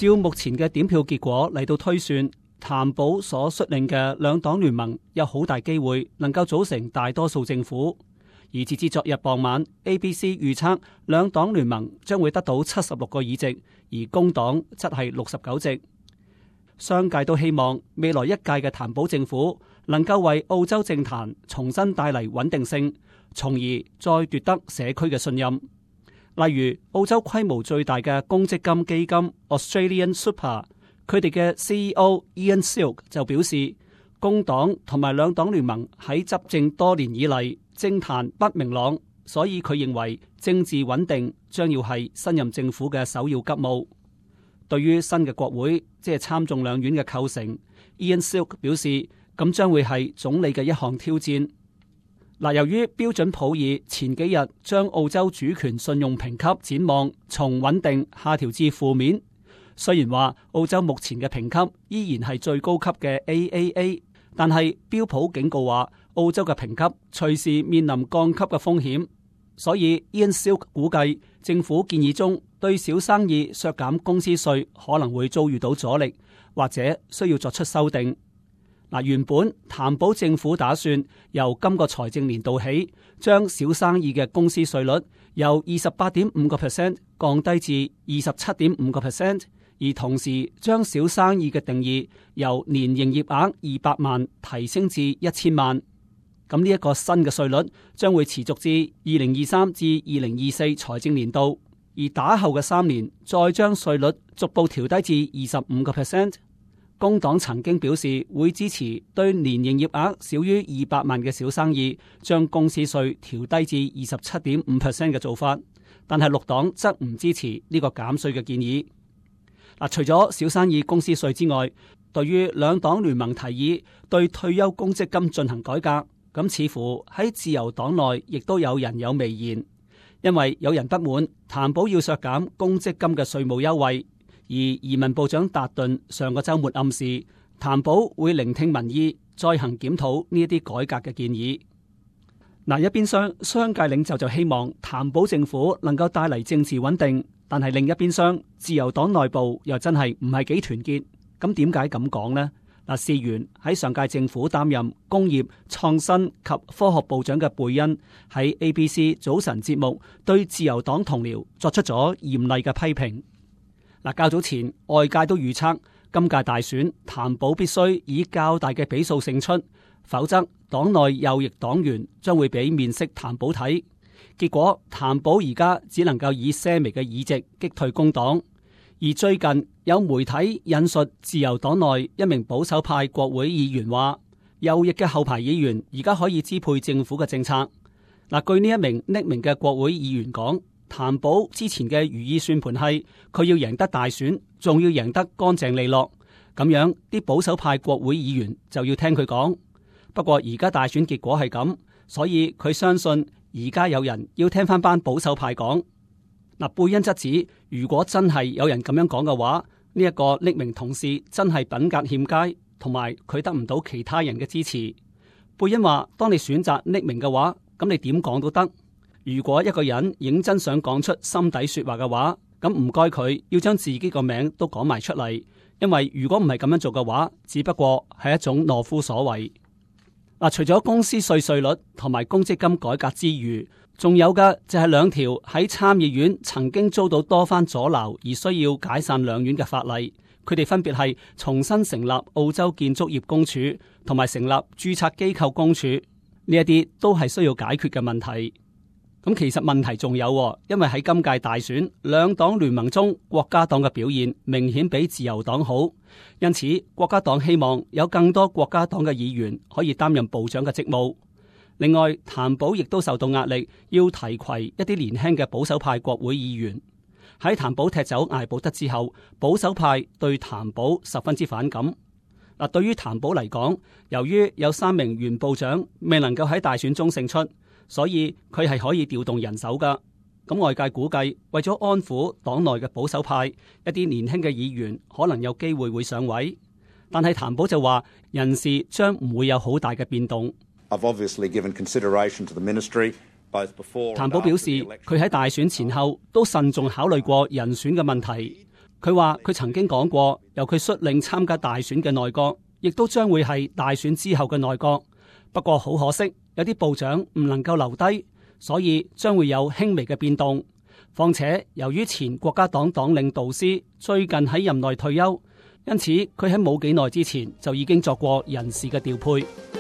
照目前嘅點票結果嚟到推算，譚寶所率領嘅兩黨聯盟有好大機會能夠組成大多數政府。而截至昨日傍晚 ，ABC 預測兩黨聯盟將會得到76個議席，而工黨則係69席。商界都希望未來一屆嘅譚寶政府能夠為澳洲政壇重新帶嚟穩定性，從而再奪得社區嘅信任。例如澳洲規模最大嘅公積金基金 Australian Super， 佢哋嘅 CEO Ian Silk 就表示，工黨同埋兩黨聯盟喺執政多年以嚟，政壇不明朗，所以佢認為政治穩定將要係新任政府嘅首要急務。對於新嘅國會，即係參眾兩院嘅構成， Ian Silk 表示，咁將會係總理嘅一項挑戰。由於標準普爾前幾日將澳洲主權信用評級展望從穩定下調至負面，雖然話澳洲目前嘅評級依然係最高級嘅 AAA， 但係標普警告話澳洲嘅評級隨時面臨降級嘅風險，所以 Ian Silk 估計政府建議中對小生意削減公司稅可能會遭遇到阻力，或者需要作出修訂。原本譚寶政府打算由今個財政年度起，將小生意嘅公司稅率由 28.5% 降低至 27.5%， 而同時將小生意嘅定義由年營業額200萬提升至1000萬。咁呢一個新嘅稅率將會持續至2023至2024財政年度，而打後嘅3年再將稅率逐步調低至 25%。工黨曾經表示會支持對年營業額少於200萬嘅小生意將公司稅調低至 27.5% 嘅做法，但係綠黨則唔支持呢個減稅嘅建議。除咗小生意公司稅之外，對於兩黨聯盟提議對退休公積金進行改革，咁似乎喺自由黨內亦都有人有微言，因為有人不滿譚寶要削減公積金嘅稅務優惠。而移民部長達頓上個週末暗示，譚寶會聆聽民意，再行檢討呢一啲改革嘅建議。一邊商界領袖就希望譚寶政府能夠帶嚟政治穩定，但係另一邊自由黨內部又真係唔係幾團結。咁點解咁講呢？事緣喺上屆政府擔任工業創新及科學部長嘅貝恩喺 ABC 早晨節目對自由黨同僚作出咗嚴厲嘅批評。較早前外界都預測今屆大選譚寶必須以較大嘅比數勝出，否則黨內右翼黨員將會俾面色譚寶睇。結果譚寶而家只能夠以些微嘅議席擊退工黨。而最近有媒體引述自由黨內一名保守派國會議員話，右翼嘅後排議員而家可以支配政府嘅政策。據呢一名匿名嘅國會議員講，譚寶之前嘅如意算盤係佢要贏得大選，仲要贏得乾淨利落，咁樣啲保守派國會議員就要聽佢講。不過而家大選結果係咁，所以佢相信而家有人要聽翻班保守派講。貝恩則指，如果真係有人咁樣講嘅話，呢一個匿名同事真係品格欠佳，同埋佢得唔到其他人嘅支持。貝恩話，當你選擇匿名嘅話，咁你點講都得。如果一個人認真想講出心底說話嘅話，咁唔該佢要將自己個名都講埋出嚟，因為如果唔係咁樣做嘅話，只不過係一種懦夫所為。除咗公司稅率同埋公積金改革之餘，仲有嘅就係兩條喺參議院曾經遭到多番阻撓而需要解散兩院嘅法例，佢哋分別係重新成立澳洲建築業公署同埋成立註冊機構公署，呢一啲都係需要解決嘅問題。咁其實問題仲有，因為喺今屆大選兩黨聯盟中，國家黨嘅表現明顯比自由黨好，因此國家黨希望有更多國家黨嘅議員可以擔任部長嘅職務。另外，譚寶亦都受到壓力，要提攜一啲年輕嘅保守派國會議員。喺譚寶踢走艾寶德之後，保守派對譚寶十分之反感。對於譚寶嚟講，由於有3名原部長未能夠喺大選中勝出，所以佢係可以調動人手噶。咁外界估計，為咗安撫黨內嘅保守派，一啲年輕嘅議員可能有機會上位。但係譚寶就話，人事將唔會有好大嘅變動。譚寶表示，佢喺大選前後都慎重考慮過人選嘅問題。佢話佢曾經講過，由佢率領參加大選嘅內閣，亦都將會係大選之後嘅內閣。不過好可惜，有啲部長唔能夠留低，所以將會有輕微嘅變動。況且由於前國家黨黨領杜斯最近喺任內退休，因此佢喺冇幾耐之前就已經作過人事嘅調配。